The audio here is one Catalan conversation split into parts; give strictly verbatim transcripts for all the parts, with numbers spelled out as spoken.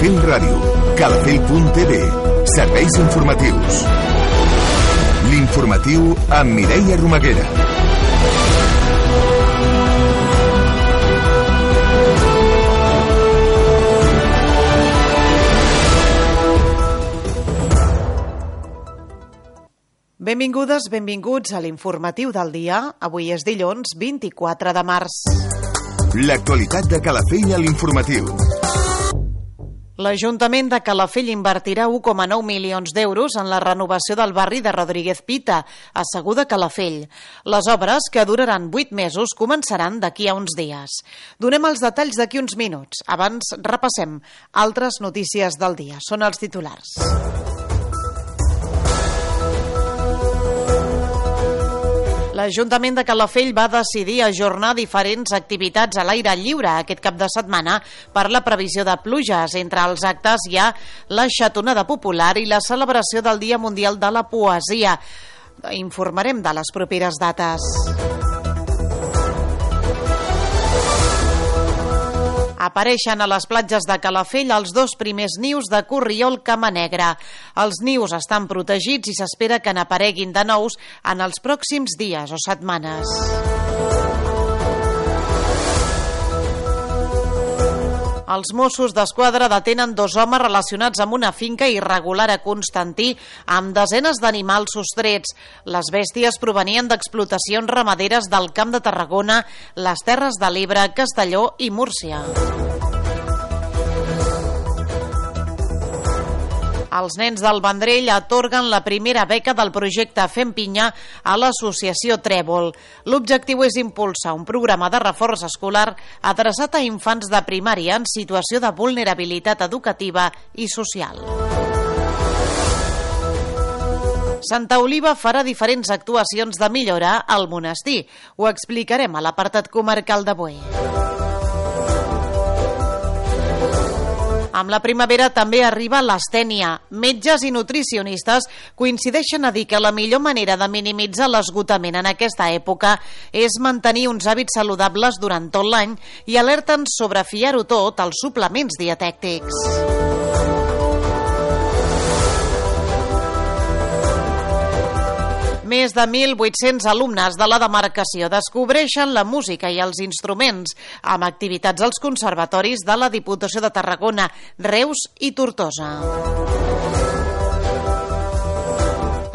Calafell Ràdio, calafell punt t v, serveis informatius. L'informatiu amb Mireia Romaguera. Benvingudes, benvinguts a l'informatiu del dia. Avui és dilluns vint-i-quatre de març. L'actualitat de Calafell a l'informatiu. L'Ajuntament de Calafell invertirà u coma nou milions d'euros en la renovació del barri de Rodríguez Pita, a Segur de Calafell. Les obres, que duraran vuit mesos, començaran d'aquí a uns dies. Donem els detalls d'aquí uns minuts. Abans repassem altres notícies del dia. Són els titulars. L'Ajuntament de Calafell va decidir ajornar diferents activitats a l'aire lliure aquest cap de setmana per la previsió de pluges. Entre els actes hi ha la xatonada popular i la celebració del Dia Mundial de la Poesia. Informarem de les properes dates. Apareixen a les platges de Calafell els dos primers nius de corriol camanegre. Els nius estan protegits i s'espera que n'apareguin de nous en els pròxims dies o setmanes. Els Mossos d'Esquadra detenen dos homes relacionats amb una finca irregular a Constantí amb desenes d'animals sostrets. Les bèsties provenien d'explotacions ramaderes del Camp de Tarragona, les Terres de l'Ebre, Castelló i Múrcia. Els nens del Vendrell atorguen la primera beca del projecte Fem Pinya a l'associació Trèvol. L'objectiu és impulsar un programa de reforç escolar adreçat a infants de primària en situació de vulnerabilitat educativa i social. Santa Oliva farà diferents actuacions de millora al monestir. Ho explicarem a l'apartat comarcal d'avui. Amb la primavera també arriba l'astènia. Metges i nutricionistes coincideixen a dir que la millor manera de minimitzar l'esgotament en aquesta època és mantenir uns hàbits saludables durant tot l'any i alerten sobre fiar-ho tot als suplements dietètics. Més de mil vuit-cents alumnes de la demarcació descobreixen la música i els instruments amb activitats als conservatoris de la Diputació de Tarragona, Reus i Tortosa.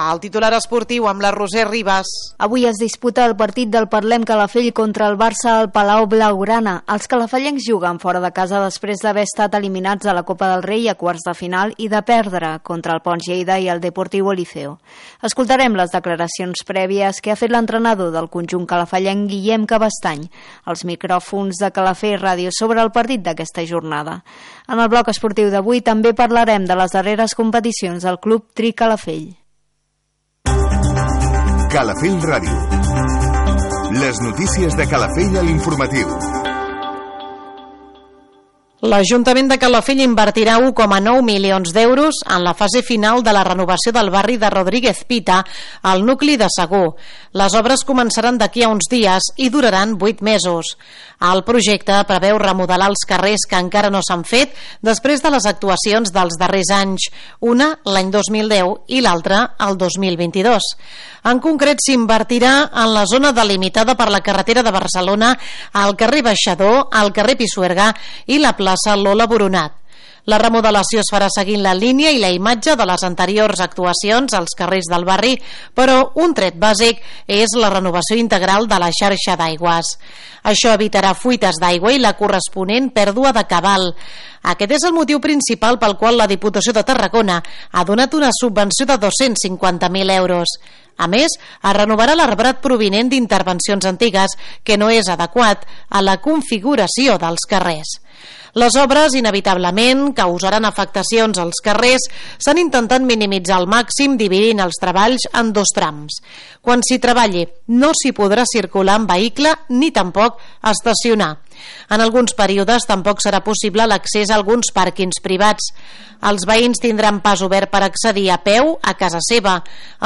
El titular esportiu amb la Roser Ribas. Avui es disputa el partit del Parlem Calafell contra el Barça al Palau Blaugrana. Els calafellencs juguen fora de casa després d'haver estat eliminats a la Copa del Rei a quarts de final i de perdre contra el Pons Lleida i el Deportivo Liceo. Escoltarem les declaracions prèvies que ha fet l'entrenador del conjunt calafellenc, Guillem Cabestany, als micròfons de Calafell Ràdio sobre el partit d'aquesta jornada. En el bloc esportiu d'avui també parlarem de les darreres competicions del Club Tri Calafell. Calafell Ràdio. Les notícies de Calafell a l'informatiu. L'Ajuntament de Calafell invertirà u coma nou milions d'euros en la fase final de la renovació del barri de Rodríguez Pita al nucli de Segur. Les obres començaran d'aquí a uns dies i duraran vuit mesos. El projecte preveu remodelar els carrers que encara no s'han fet després de les actuacions dels darrers anys, una l'any dos mil deu i l'altra el dos mil vint-i-dos. En concret, s'invertirà en la zona delimitada per la carretera de Barcelona, al carrer Baixador, al carrer Pisuerga i la plaça Lola Boronat. La remodelació es farà seguint la línia i la imatge de les anteriors actuacions als carrers del barri, però un tret bàsic és la renovació integral de la xarxa d'aigües. Això evitarà fuites d'aigua i la corresponent pèrdua de cabal. Aquest és el motiu principal pel qual la Diputació de Tarragona ha donat una subvenció de dos-cents cinquanta mil euros. A més, es renovarà l'arbrat provinent d'intervencions antigues, que no és adequat a la configuració dels carrers. Les obres, inevitablement, causaran afectacions als carrers. S'han intentat minimitzar al màxim dividint els treballs en dos trams. Quan s'hi treballi, no s'hi podrà circular en vehicle ni tampoc estacionar. En alguns períodes tampoc serà possible l'accés a alguns pàrquings privats. Els veïns tindran pas obert per accedir a peu a casa seva.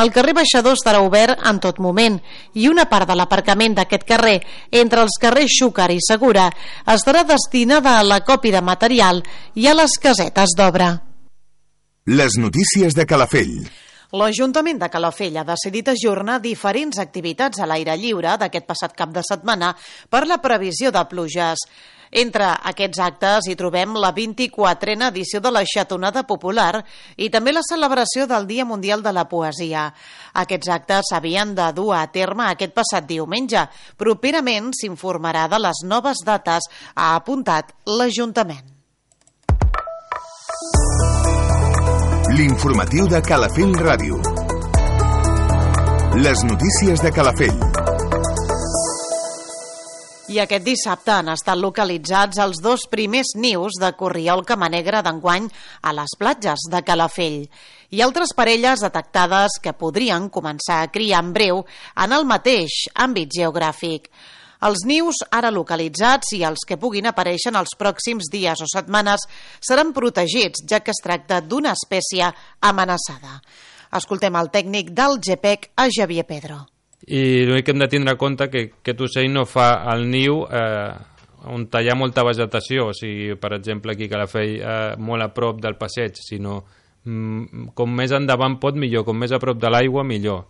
El carrer Baixador estarà obert en tot moment i una part de l'aparcament d'aquest carrer, entre els carrers Xúquer i Segura, estarà destinada a l'acopli de material i a les casetes d'obra. Les notícies de Calafell. L'Ajuntament de Calafell ha decidit ajornar diferents activitats a l'aire lliure d'aquest passat cap de setmana per la previsió de pluges. Entre aquests actes hi trobem la vint-i-quatrena edició de la Xatonada Popular i també la celebració del Dia Mundial de la Poesia. Aquests actes s'havien de dur a terme aquest passat diumenge. Properament s'informarà de les noves dates, ha apuntat l'Ajuntament. L'informatiu de Calafell Ràdio. Les notícies de Calafell. I aquest dissabte han estat localitzats els dos primers nius de corriol camanegre d'enguany a les platges de Calafell i altres parelles detectades que podrien començar a criar en breu en el mateix àmbit geogràfic. Els nius ara localitzats i els que puguin aparèixer en els pròxims dies o setmanes seran protegits, ja que es tracta d'una espècie amenaçada. Escoltem el tècnic del G P E C, a Xavier Pedro. I l'únic que hem de tindre en compte que aquest ocell no fa el niu eh, on hi ha molta vegetació, o sigui, per exemple, aquí a Calafell, eh, molt a prop del passeig, sinó mm, com més endavant pot millor, com més a prop de l'aigua millor.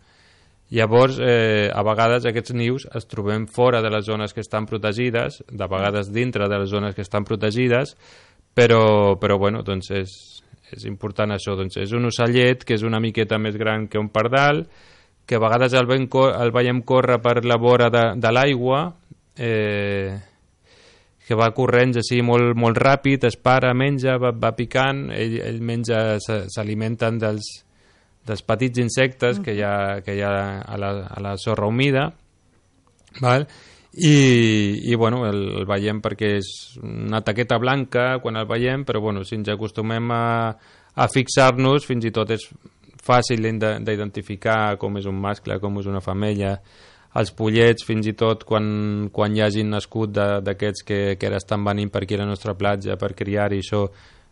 Llavors, eh, a vegades aquests nius es trobem fora de les zones que estan protegides, de vegades dintre de les zones que estan protegides, però, però bueno, doncs és, és important això. Doncs és un ocellet que és una miqueta més gran que un pardal, que a vegades el, ven, el veiem córrer per la vora de, de l'aigua, eh, que va corrents així molt, molt ràpid, es para, menja, va, va picant, ell, ell menja, s'alimenten dels dels petits insectes que hi ha, que hi ha a, la, a la sorra humida, val? I, i bueno, el, el veiem perquè és una taqueta blanca quan el veiem, però bueno, si ens acostumem a, a fixar-nos, fins i tot és fàcil d'identificar com és un mascle, com és una femella. Els pollets, fins i tot quan, quan hi hagin nascut d'aquests que, que ara estan venint per aquí a la nostra platja per criar-hi, això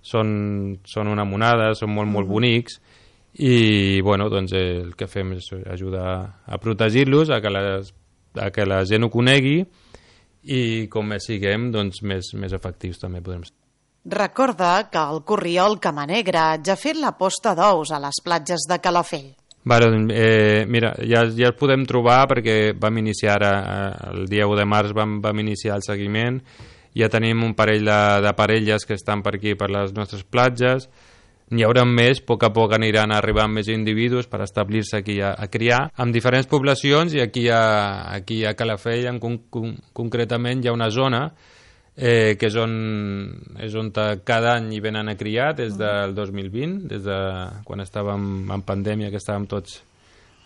són, són una monada, són molt, molt bonics. I bueno, doncs el que fem és ajudar a protegir-los, a que, les, a que la gent ho conegui i com més siguem, doncs més, més efectius també podem ser. Recorda que el corriol camanegre ja ha fet la posta d'ous a les platges de Calafell. Vale, eh, mira, ja, ja el podem trobar perquè vam iniciar ara, el dia u de març vam, vam iniciar el seguiment, ja tenim un parell de, de parelles que estan per aquí, per les nostres platges. N'hi haurà més, a poc a poc aniran arribant més individus per establir-se aquí a, a criar, amb diferents poblacions, i aquí a, aquí a Calafell en con, con, concretament hi ha una zona eh, que és on, és on cada any hi venen a criar des del dos mil vint, des de quan estàvem en pandèmia, que estàvem tots,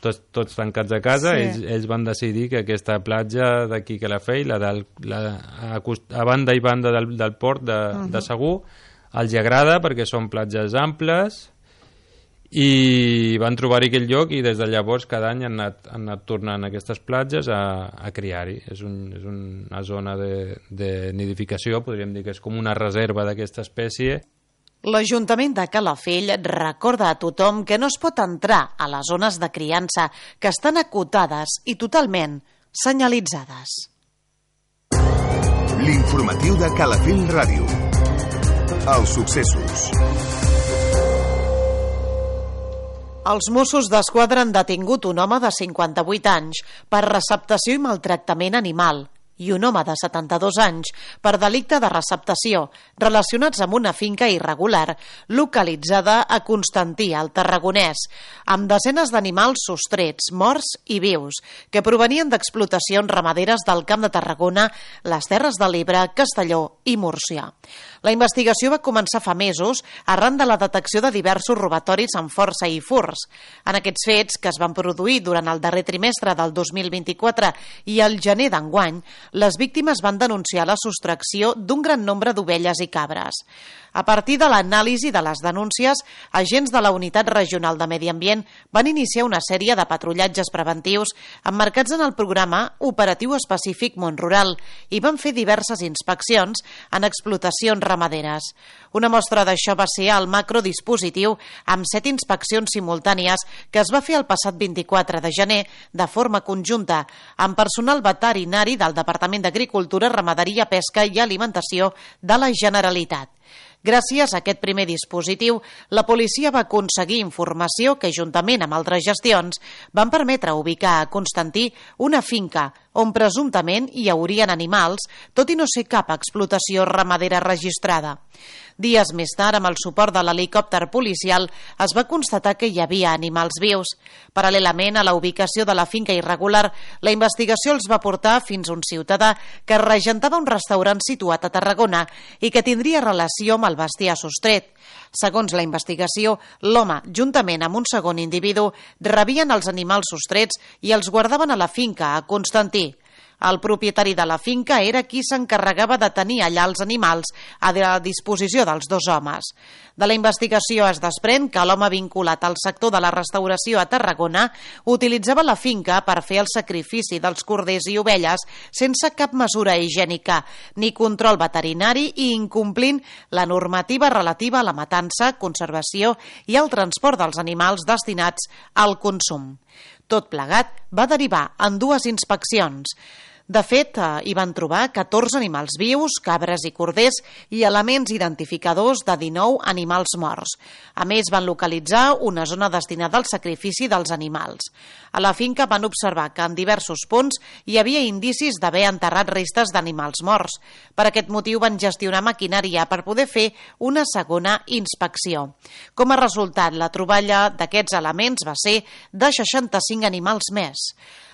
tots, tots tancats a casa. Sí. Ells, ells van decidir que aquesta platja d'aquí a Calafell, la del, la, a, a banda i banda del, del port de, uh-huh. de Segur, els agrada perquè són platges amples i van trobar-hi aquell lloc i des de llavors cada any han anat, han anat tornant a aquestes platges a, a criar-hi. És, un, és una zona de, de nidificació, podríem dir que és com una reserva d'aquesta espècie. L'Ajuntament de Calafell recorda a tothom que no es pot entrar a les zones de criança que estan acotades i totalment senyalitzades. L'informatiu de Calafell Ràdio. Els successos. Els Mossos d'Esquadra han detingut un home de cinquanta-vuit anys per receptació i maltractament animal i un home de setanta-dos anys per delicte de receptació relacionats amb una finca irregular localitzada a Constantí, al Tarragonès, amb desenes d'animals sostrets, morts i vius, que provenien d'explotacions ramaderes del Camp de Tarragona, les Terres de l'Ebre, Castelló i Múrcia. La investigació va començar fa mesos arran de la detecció de diversos robatoris amb força i furts. En aquests fets, que es van produir durant el darrer trimestre del dos mil vint-i-quatre i el gener d'enguany, les víctimes van denunciar la sostracció d'un gran nombre d'ovelles i cabres. A partir de l'anàlisi de les denúncies, agents de la Unitat Regional de Medi Ambient van iniciar una sèrie de patrullatges preventius emmarcats en el programa Operatiu Específic Món Rural i van fer diverses inspeccions en explotacions ramaderes. Una mostra d'això va ser el macrodispositiu amb set inspeccions simultànies que es va fer el passat vint-i-quatre de gener de forma conjunta amb personal veterinari del Departament d'Agricultura, Ramaderia, Pesca i Alimentació de la Generalitat. Gràcies a aquest primer dispositiu, la policia va aconseguir informació que, juntament amb altres gestions, van permetre ubicar a Constantí una finca on presumptament hi haurien animals, tot i no ser cap explotació ramadera registrada. Dies més tard, amb el suport de l'helicòpter policial, es va constatar que hi havia animals vius. Paral·lelament a la ubicació de la finca irregular, la investigació els va portar fins a un ciutadà que regentava un restaurant situat a Tarragona i que tindria relació amb el bestiar sostret. Segons la investigació, l'home, juntament amb un segon individu, rebien els animals sostrets i els guardaven a la finca a Constantí. El propietari de la finca era qui s'encarregava de tenir allà els animals a la disposició dels dos homes. De la investigació es desprèn que l'home vinculat al sector de la restauració a Tarragona utilitzava la finca per fer el sacrifici dels corders i ovelles sense cap mesura higiènica ni control veterinari i incomplint la normativa relativa a la matança, conservació i el transport dels animals destinats al consum. Tot plegat va derivar en dues inspeccions. De fet, hi van trobar catorze animals vius, cabres i corders i elements identificadors de dinou animals morts. A més, van localitzar una zona destinada al sacrifici dels animals. A la finca van observar que en diversos punts hi havia indicis d'haver enterrat restes d'animals morts. Per aquest motiu van gestionar maquinària per poder fer una segona inspecció. Com a resultat, la troballa d'aquests elements va ser de seixanta-cinc animals més.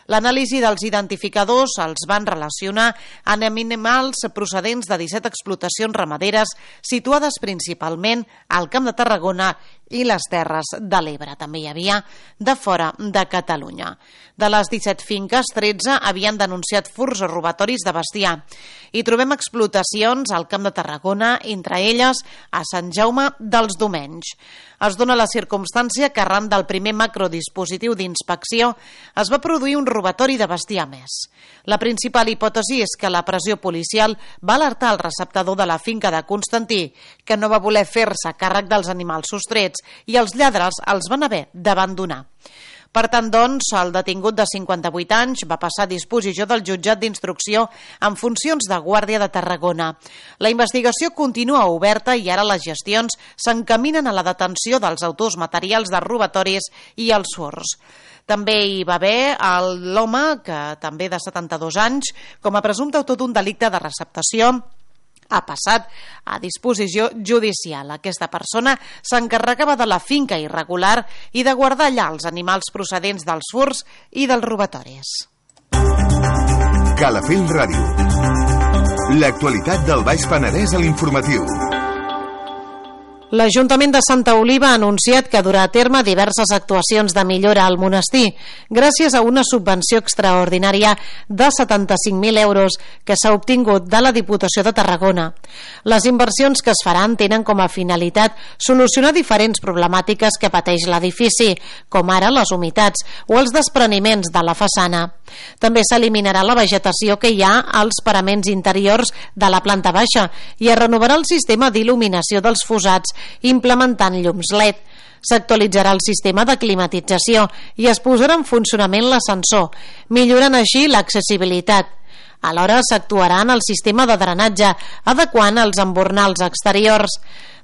L'anàlisi dels identificadors els van relacionar amb animals procedents de disset explotacions ramaderes situades principalment al Camp de Tarragona i les Terres de l'Ebre. També hi havia de fora de Catalunya. De les disset finques, tretze havien denunciat furts o robatoris de bestiar. Hi trobem explotacions al Camp de Tarragona, entre elles a Sant Jaume dels Domenys. Es dona la circumstància que arran del primer macrodispositiu d'inspecció es va produir un robatori de bestiar més. La principal hipòtesi és que la pressió policial va alertar el receptador de la finca de Constantí, que no va voler fer-se càrrec dels animals sostrets i els lladres els van haver d'abandonar. Per tant, doncs, el detingut de cinquanta-vuit anys va passar a disposició del jutjat d'instrucció en funcions de guàrdia de Tarragona. La investigació continua oberta i ara les gestions s'encaminen a la detenció dels autors materials de robatoris i els furts. També hi va haver l'home, que també de setanta-dos anys, com a presumpte autor d'un delicte de receptació, ha passat a disposició judicial. Aquesta persona s'encarregava de la finca irregular i de guardar allà els animals procedents dels furts i dels robatoris. Calafell Ràdio. L'actualitat del Baix Penedès a l'informatiu. L'Ajuntament de Santa Oliva ha anunciat que durà a terme diverses actuacions de millora al monestir, gràcies a una subvenció extraordinària de setanta-cinc mil euros que s'ha obtingut de la Diputació de Tarragona. Les inversions que es faran tenen com a finalitat solucionar diferents problemàtiques que pateix l'edifici, com ara les humitats o els despreniments de la façana. També s'eliminarà la vegetació que hi ha als paraments interiors de la planta baixa i es renovarà el sistema d'il·luminació dels fossats implementant llums L E D. S'actualitzarà el sistema de climatització i es posarà en funcionament l'ascensor, millorant així l'accessibilitat. Alhora s'actuarà en el sistema de drenatge, adequant els embornals exteriors.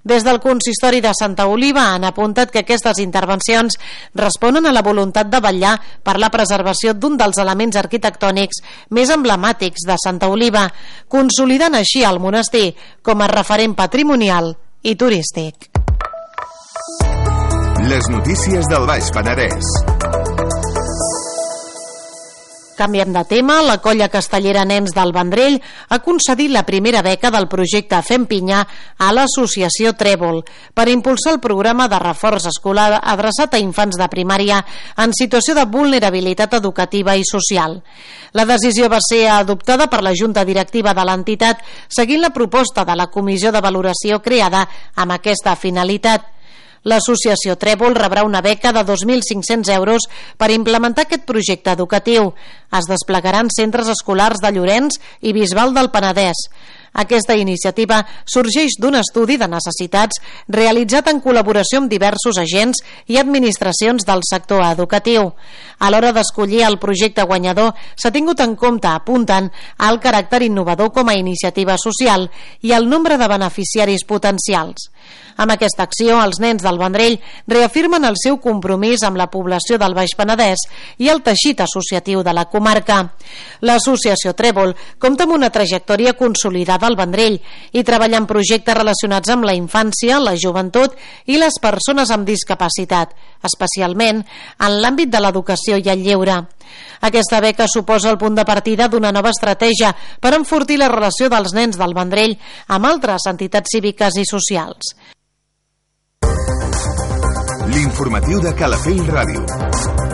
Des del consistori de Santa Oliva han apuntat que aquestes intervencions responen a la voluntat de vetllar per la preservació d'un dels elements arquitectònics més emblemàtics de Santa Oliva, consolidant així el monestir com a referent patrimonial i turístic. Les notícies del Baix Penedès. Canviem de tema. La colla castellera Nens del Vendrell ha concedit la primera beca del projecte Fem Pinya a l'associació Trèvol per impulsar el programa de reforç escolar adreçat a infants de primària en situació de vulnerabilitat educativa i social. La decisió va ser adoptada per la Junta Directiva de l'entitat seguint la proposta de la Comissió de Valoració creada amb aquesta finalitat. L'associació Trèvol rebrà una beca de dos mil cinc-cents euros per implementar aquest projecte educatiu. Es desplegaran centres escolars de Llorenç i Bisbal del Penedès. Aquesta iniciativa sorgeix d'un estudi de necessitats realitzat en col·laboració amb diversos agents i administracions del sector educatiu. A l'hora d'escollir el projecte guanyador s'ha tingut en compte, apunten, el caràcter innovador com a iniciativa social i el nombre de beneficiaris potencials. Amb aquesta acció, els Nens del Vendrell reafirmen el seu compromís amb la població del Baix Penedès i el teixit associatiu de la comarca. L'associació Trèvol compta amb una trajectòria consolidada al Vendrell i treballa en projectes relacionats amb la infància, la joventut i les persones amb discapacitat, especialment en l'àmbit de l'educació i el lleure. Aquesta beca suposa el punt de partida d'una nova estratègia per enfortir la relació dels Nens del Vendrell amb altres entitats cíviques i socials. L'informatiu de Calafell Ràdio.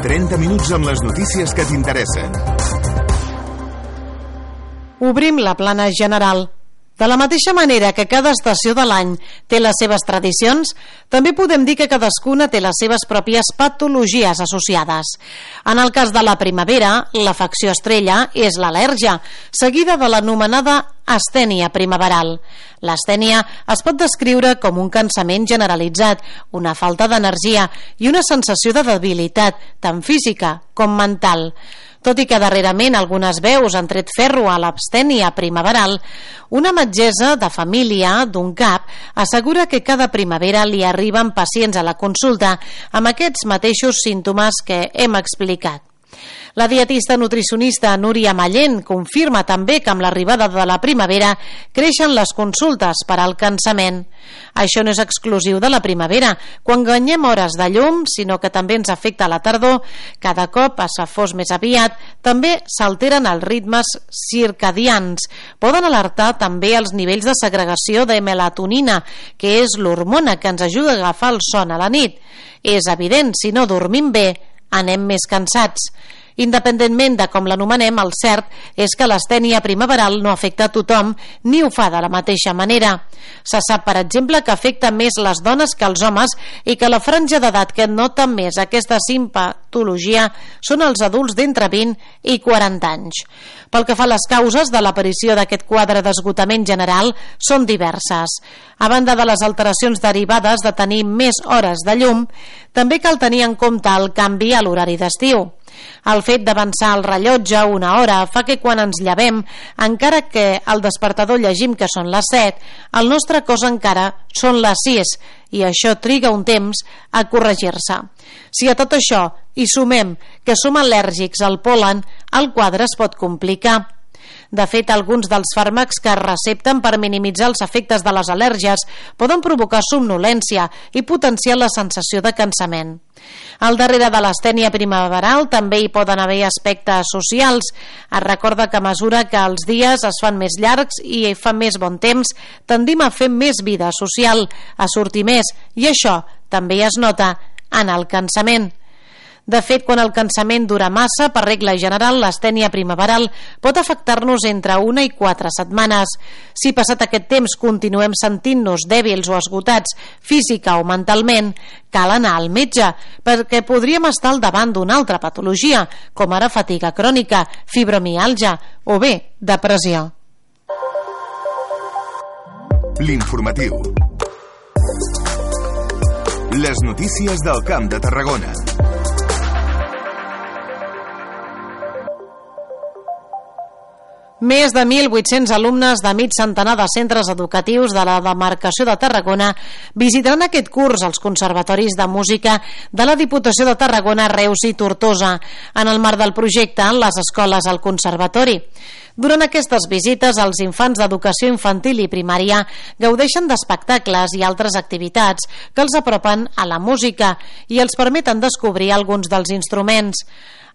trenta minuts amb les notícies que t'interessen. Obrim la plana general. De la mateixa manera que cada estació de l'any té les seves tradicions, també podem dir que cadascuna té les seves pròpies patologies associades. En el cas de la primavera, l'afecció estrella és l'al·lèrgia, seguida de l'anomenada astènia primaveral. L'astènia es pot descriure com un cansament generalitzat, una falta d'energia i una sensació de debilitat, tant física com mental. Tot i que darrerament algunes veus han tret ferro a l'abstènia primaveral, una metgessa de família d'un cap assegura que cada primavera li arriben pacients a la consulta amb aquests mateixos símptomes que hem explicat. La dietista nutricionista Núria Mallent confirma també que amb l'arribada de la primavera creixen les consultes per al cansament. Això no és exclusiu de la primavera, quan guanyem hores de llum, sinó que també ens afecta a la tardor. Cada cop es fa fos més aviat, també s'alteren els ritmes circadians. Poden alertar també els nivells de segregació de melatonina, que és l'hormona que ens ajuda a agafar el son a la nit. És evident, si no dormim bé, anem més cansats. Independentment de com l'anomenem, el cert és que l'astènia primaveral no afecta a tothom ni ho fa de la mateixa manera. Se sap, per exemple, que afecta més les dones que els homes i que la franja d'edat que nota més aquesta simpatologia són els adults d'entre vint i quaranta anys. Pel que fa a les causes de l'aparició d'aquest quadre d'esgotament general, són diverses. A banda de les alteracions derivades de tenir més hores de llum, també cal tenir en compte el canvi a l'horari d'estiu. El fet d'avançar el rellotge una hora fa que quan ens llevem, encara que al despertador llegim que són les set, el nostre cos encara són les sis i això triga un temps a corregir-se. Si a tot això hi sumem que som al·lèrgics al pol·len, el quadre es pot complicar. De fet, alguns dels fàrmacs que es recepten per minimitzar els efectes de les al·lèrgies poden provocar somnolència i potenciar la sensació de cansament. Al darrere de l'astènia primaveral també hi poden haver aspectes socials. Es recorda que a mesura que els dies es fan més llargs i fa més bon temps, tendim a fer més vida social, a sortir més, i això també es nota en el cansament. De fet, quan el cansament dura massa, per regla general, l'astènia primaveral pot afectar-nos entre una i quatre setmanes. Si passat aquest temps continuem sentint-nos dèbils o esgotats física o mentalment, cal anar al metge, perquè podríem estar al davant d'una altra patologia, com ara fatiga crònica, fibromiàlgia o bé, depressió. L'informatiu. Les notícies del Camp de Tarragona. Més de mil vuit-cents alumnes de mig centenar de centres educatius de la demarcació de Tarragona visitaran aquest curs als conservatoris de música de la Diputació de Tarragona, Reus i Tortosa, en el marc del projecte Les escoles al conservatori. Durant aquestes visites, els infants d'educació infantil i primària gaudeixen d'espectacles i altres activitats que els apropen a la música i els permeten descobrir alguns dels instruments.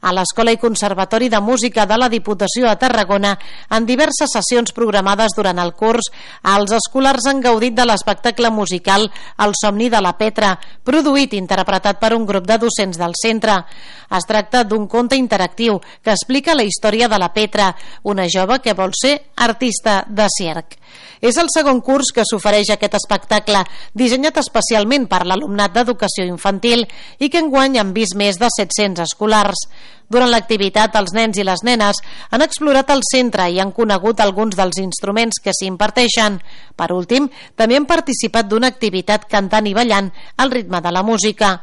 A l'Escola i Conservatori de Música de la Diputació de Tarragona, en diverses sessions programades durant el curs, els escolars han gaudit de l'espectacle musical El somni de la Petra, produït i interpretat per un grup de docents del centre. Es tracta d'un conte interactiu que explica la història de la Petra, una jove que vol ser artista de circ. És el segon curs que s'ofereix aquest espectacle, dissenyat especialment per l'alumnat d'educació infantil i que enguany han vist més de set-cents escolars. Durant l'activitat, els nens i les nenes han explorat el centre i han conegut alguns dels instruments que s'hi imparteixen. Per últim, també han participat d'una activitat cantant i ballant al ritme de la música.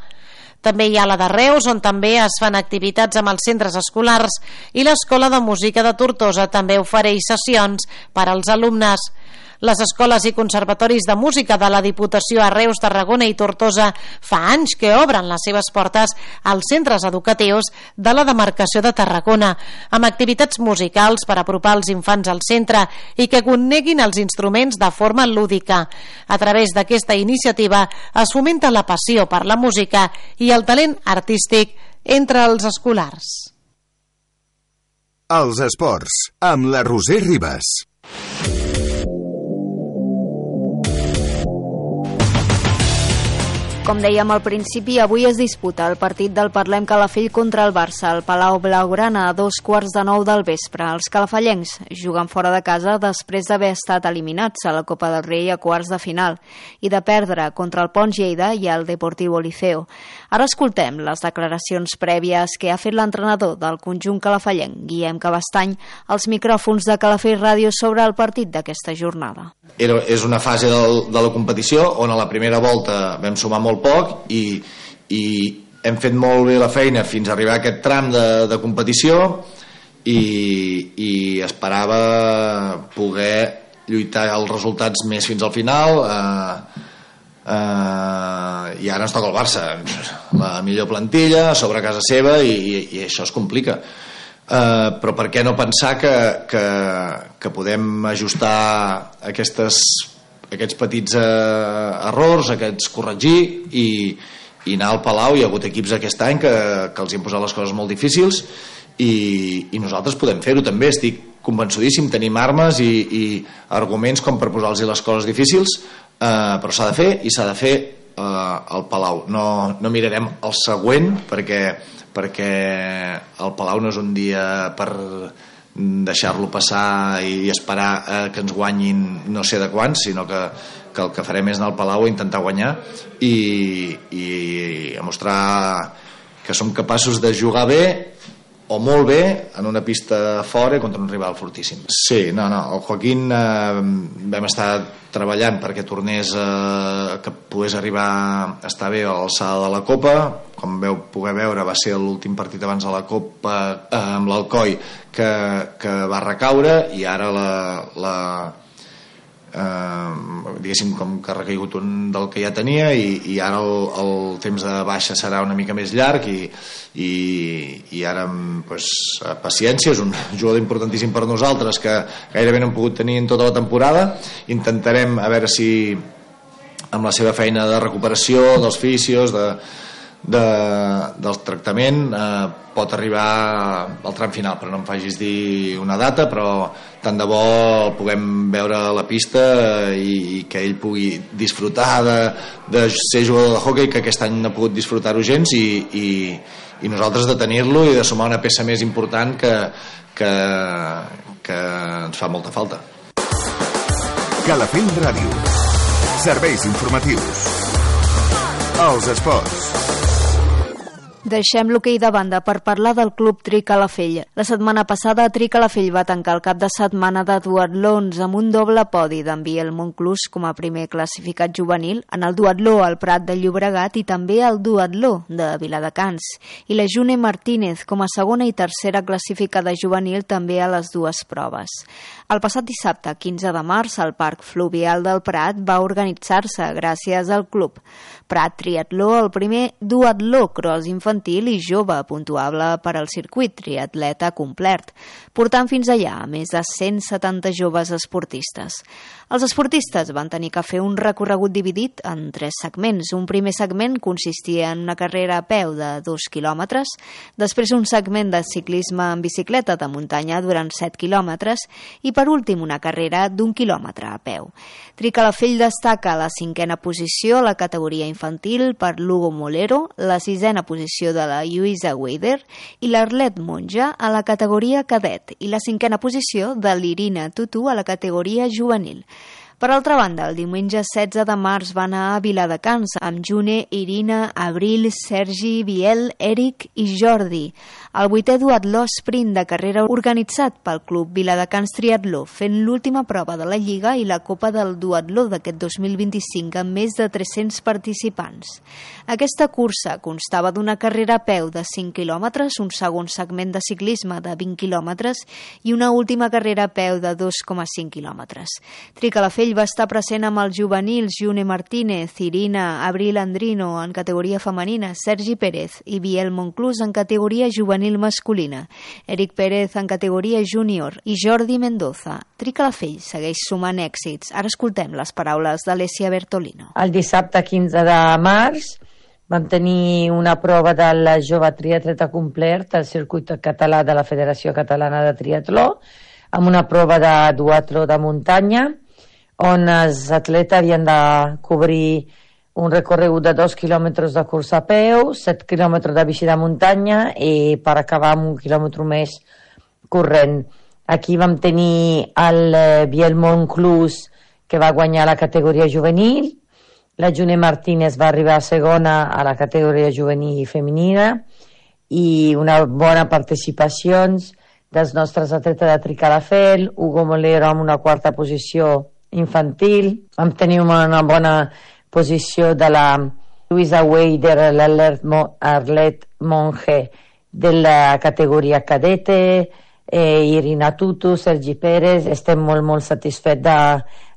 També hi ha la de Reus, on també es fan activitats amb els centres escolars, i l'Escola de Música de Tortosa també ofereix sessions per als alumnes. Les escoles i conservatoris de música de la Diputació a Reus, Tarragona i Tortosa fa anys que obren les seves portes als centres educatius de la demarcació de Tarragona, amb activitats musicals per apropar els infants al centre i que coneguin els instruments de forma lúdica. A través d'aquesta iniciativa es fomenta la passió per la música i el talent artístic entre els escolars. Els esports, amb la Roser Ribas. Com dèiem al principi, avui es disputa el partit del Parlem Calafell contra el Barça al Palau Blaugrana a dos quarts de nou del vespre. Els calafallencs juguen fora de casa després d'haver estat eliminats a la Copa del Rei a quarts de final i de perdre contra el Pons Lleida i el Deportivo Liceo. Ara escoltem les declaracions prèvies que ha fet l'entrenador del conjunt calafallenc, Guillem Cabestany, als micròfons de Calafell Ràdio sobre el partit d'aquesta jornada. Era, és una fase del, de la competició on a la primera volta vam sumar molt poc i, i hem fet molt bé la feina fins a arribar a aquest tram de, de competició i, i esperava poder lluitar els resultats més fins al final. eh, eh, i ara ens toca el Barça, la millor plantilla sobre casa seva i, i, i això es complica. Uh, però per què no pensar que, que, que podem ajustar aquestes, aquests petits uh, errors, aquests corregir i, i anar al Palau. Hi ha hagut equips aquest any que, que els hi han posat les coses molt difícils i, i nosaltres podem fer-ho també. Estic convençudíssim, tenim armes i, i arguments com per posar-los les coses difícils, uh, però s'ha de fer i s'ha de fer uh, al Palau. No, no mirarem el següent perquè perquè el Palau no és un dia per deixar-lo passar i esperar eh, que ens guanyin no sé de quants, sinó que, que el que farem és anar al Palau a intentar guanyar i, i a mostrar que som capaços de jugar bé o molt bé en una pista fora contra un rival fortíssim. Sí, no, no, el Joaquín eh, vam estar treballant perquè tornés eh, que pogués arribar a estar bé a l'alçada de la Copa. Com veu poder veure, va ser l'últim partit abans de la Copa eh, amb l'Alcoi que, que va recaure i ara la, la eh, diguéssim com que ha recaigut un del que ja tenia i, i ara el, el temps de baixa serà una mica més llarg i, i, i ara pues, paciència, és un jugador importantíssim per nosaltres que gairebé no hem pogut tenir en tota la temporada. Intentarem a veure si amb la seva feina de recuperació dels fisios, de De, del tractament eh, pot arribar al tram final, però no em facis dir una data, però tant de bo el puguem veure a la pista eh, i, i que ell pugui disfrutar de, de ser jugador de hoquei, que aquest any no ha pogut disfrutar-ho gens i, i, i nosaltres de tenir-lo i de sumar una peça més important que, que, que ens fa molta falta. Calafell Ràdio. Serveis informatius. Els esports. Deixem l'hoquei de banda per parlar del Club Tri Calafell. La setmana passada Tri Calafell va tancar el cap de setmana de duatlons amb un doble podi d'en Biel Monclús com a primer classificat juvenil, en el duatló al Prat de Llobregat i també el duatló de Viladecans, i la June Martínez com a segona i tercera classificada juvenil també a les dues proves. El passat dissabte, quinze de març, el Parc Fluvial del Prat va organitzar-se gràcies al Club Prat Triatló, el primer duatló cross infantil infantil i jove puntuable per al circuit triatleta complet, portant fins allà a més de cent setanta joves esportistes. Els esportistes van tenir que fer un recorregut dividit en tres segments. Un primer segment consistia en una carrera a peu de dos quilòmetres, després un segment de ciclisme en bicicleta de muntanya durant set quilòmetres i per últim una carrera d'un quilòmetre a peu. Tricalafell destaca la cinquena posició a la categoria infantil per l'Hugo Molero, la sisena posició de la Lluïsa Weider i l'Arlet Monja a la categoria cadet i la cinquena posició de l'Irina Tutu a la categoria juvenil. Per altra banda, el diumenge setze de març va anar a Viladecans amb June, Irina, Abril, Sergi, Biel, Eric i Jordi. El vuitè duatló sprint de carrera organitzat pel Club Viladecans Triatló, fent l'última prova de la Lliga i la Copa del Duatló d'aquest dos mil vint-i-cinc amb més de tres-cents participants. Aquesta cursa constava d'una carrera a peu de cinc quilòmetres, un segon segment de ciclisme de vint quilòmetres i una última carrera a peu de dos coma cinc quilòmetres. Tricalafell va estar present amb els juvenils June Martínez, Irina, Abril Andrino en categoria femenina, Sergi Pérez i Biel Monclús en categoria juvenil masculina, Eric Pérez en categoria júnior i Jordi Mendoza. Tricalafell segueix sumant èxits. Ara escoltem les paraules d'Alessia Bertolino. El dissabte quinze de març vam tenir una prova del jove triatleta complet al circuit català de la Federació Catalana de Triatló, amb una prova de duatló de muntanya, on els atletes havien de cobrir un recorregut de dos quilòmetres de cursa a peu, set quilòmetres de bici de muntanya i per acabar amb un quilòmetre més corrent. Aquí vam tenir el Biel Monclús, que va guanyar la categoria juvenil, la June Martínez va arribar a segona a la categoria juvenil femenina i una bona participació dels nostres atletes de Tricalafell, Hugo Molero amb una quarta posició infantil, vam tenir una bona posició de la Lluïsa Weider, l'Arlet Monge de la categoria cadete, eh, Irina Tutu, Sergi Pérez. Estem molt, molt satisfets de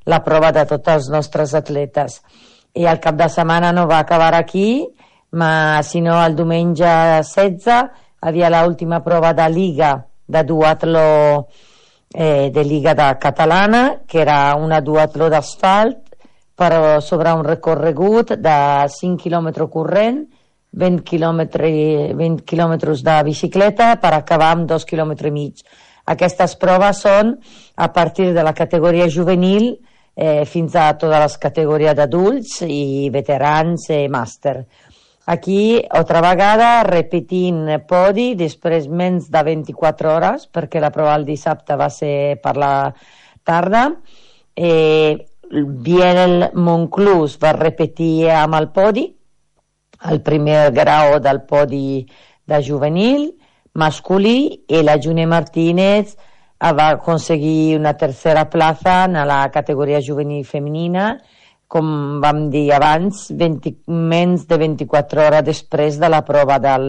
la prova de tots els nostres atletes. I el cap de setmana no va acabar aquí, ma, sinó el diumenge setze havia l'última prova de Liga de duatló Eh, de Liga de Catalana, que era una duatló d'asfalt, però sobre un recorregut de cinc quilòmetres corrent, vint quilòmetres de bicicleta per acabar amb dos quilòmetres i mig. Aquestes proves són a partir de la categoria juvenil eh, fins a totes les categories d'adults i veterans i màster. Aquí, altra vegada, repetint podi, després menys de vint-i-quatre hores, perquè la prova el dissabte va ser per la tarda. Eh, Biel Monclús va repetir amb el podi, el primer grau del podi de juvenil, masculí, i la June Martínez va aconseguir una tercera plaça en la categoria juvenil femenina, com vam dir abans, vint, menys de vint-i-quatre hores després de la prova del,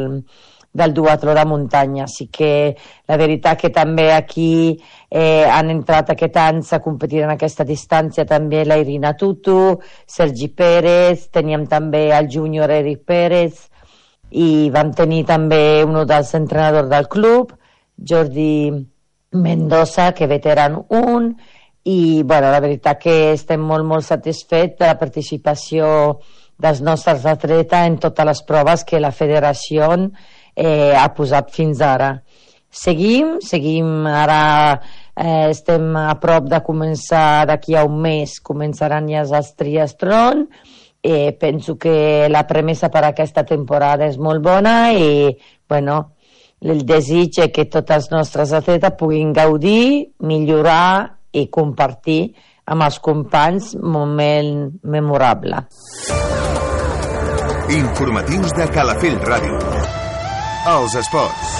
del duatló de muntanya. Així que la veritat que també aquí eh, han entrat aquest any a competir en aquesta distància també la Irina Tutu, Sergi Pérez, teníem també el júnior Eric Pérez i vam tenir també un dels entrenadors del club, Jordi Mendoza, que veteran un, i bueno, la veritat que estem molt molt satisfets de la participació dels nostres atletes en totes les proves que la federació eh, ha posat fins ara. Seguim, seguim ara, eh, estem a prop de començar, d'aquí a un mes començaran ja els triatlons. Eh, penso que la premissa per aquesta temporada és molt bona i bueno, el desig és que tots els nostres atletes puguin gaudir, millorar i compartir amb els companys un moment memorable. Informatius de Calafell Ràdio. Els esports.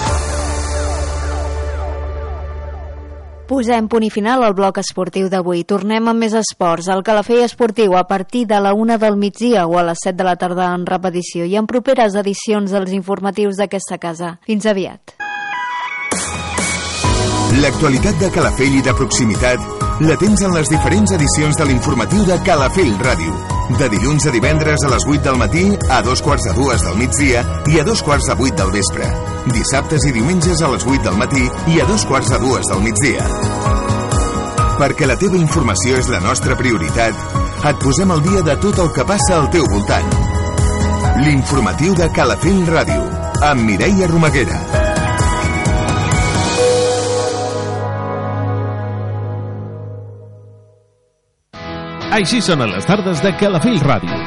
Posem punt i final al bloc esportiu d'avui. Tornem amb més esports. El Calafell Esportiu a partir de la una del migdia o a les set de la tarda en repetició i en properes edicions dels informatius d'aquesta casa. Fins aviat. L'actualitat de Calafell i de proximitat La tens en les diferents edicions de l'informatiu de Calafell Ràdio. De dilluns a divendres a les vuit del matí, a dos quarts de dues del migdia i a dos quarts de vuit del vespre. Dissabtes i diumenges a les vuit del matí i a dos quarts de dues del migdia. Perquè la teva informació és la nostra prioritat, et posem al dia de tot el que passa al teu voltant. L'informatiu de Calafell Ràdio, amb Mireia Romaguera. Així sonen les tardes de Calafell Ràdio.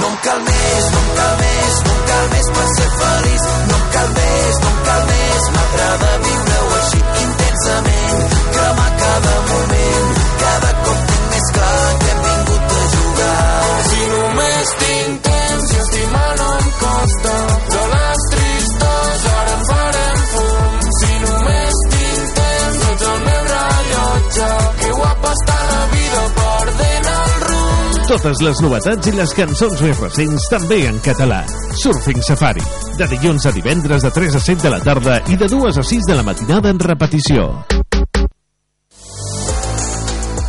No em cal més, no em cal més, no em cal més per ser feliç. No em cal més, no em cal més, m'agrada viure-ho així intensament, cremar cada moment. Cada cop tinc més clar que hem vingut a jugar. Si només tinc temps i estimar no em costa, de les tristes ara en farem fum. Si només tinc temps ets el meu rellotge, que guapa està la vida perdent el rumb. Totes les novetats i les cançons més recents també en català. Surfing Safari, de dilluns a divendres de tres a set de la tarda i de dues a sis de la matinada en repetició.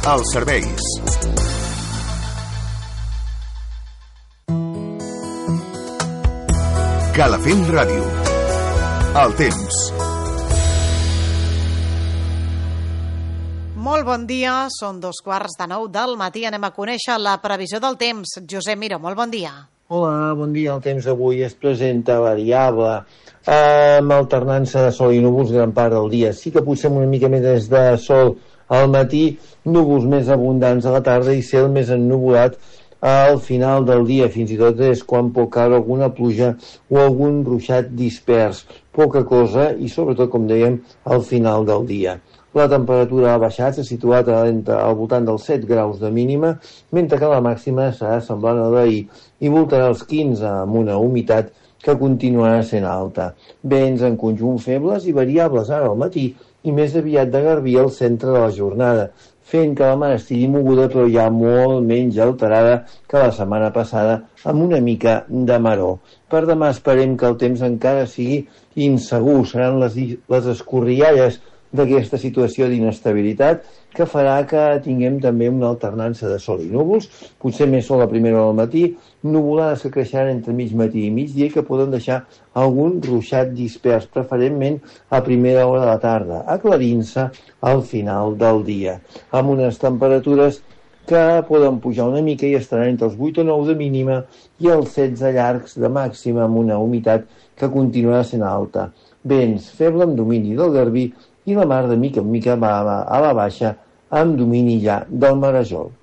Els serveis. Calafell Ràdio. El temps. Molt bon dia, són dos quarts de nou del matí. Anem a conèixer la previsió del temps. Josep Miró, molt bon dia. Hola, bon dia. El temps avui es presenta variable, amb alternança de sol i núvols gran part del dia. Sí que potser una mica més de sol al matí, núvols més abundants a la tarda i cel més ennuvolat al final del dia. Fins i tot és quan pot caure alguna pluja o algun ruixat dispers. Poca cosa i sobretot, com dèiem, al final del dia. La temperatura ha baixat, s'ha situat al voltant dels set graus de mínima, mentre que la màxima serà semblant a d'ahir i voltarà els quinze, amb una humitat que continuarà sent alta. Vents en conjunt febles i variables ara al matí i més aviat de garbí al centre de la jornada, fent que la mar estigui moguda però ja molt menys alterada que la setmana passada, amb una mica de maror. Per demà esperem que el temps encara sigui insegur, seran les, les escorrialles d'aquesta situació d'inestabilitat que farà que tinguem també una alternança de sol i núvols, potser més sol a primera hora del matí, nuvolades que creixeran entre mig matí i migdia i que poden deixar algun ruixat dispers, preferentment a primera hora de la tarda, aclarint-se al final del dia, amb unes temperatures que poden pujar una mica i estaran entre els vuit o nou de mínima i els setze llargs de màxima, amb una humitat que continuarà sent alta. Vents feble amb domini del garbí i la mar de mica en mica va a la baixa amb domini ja del marejol.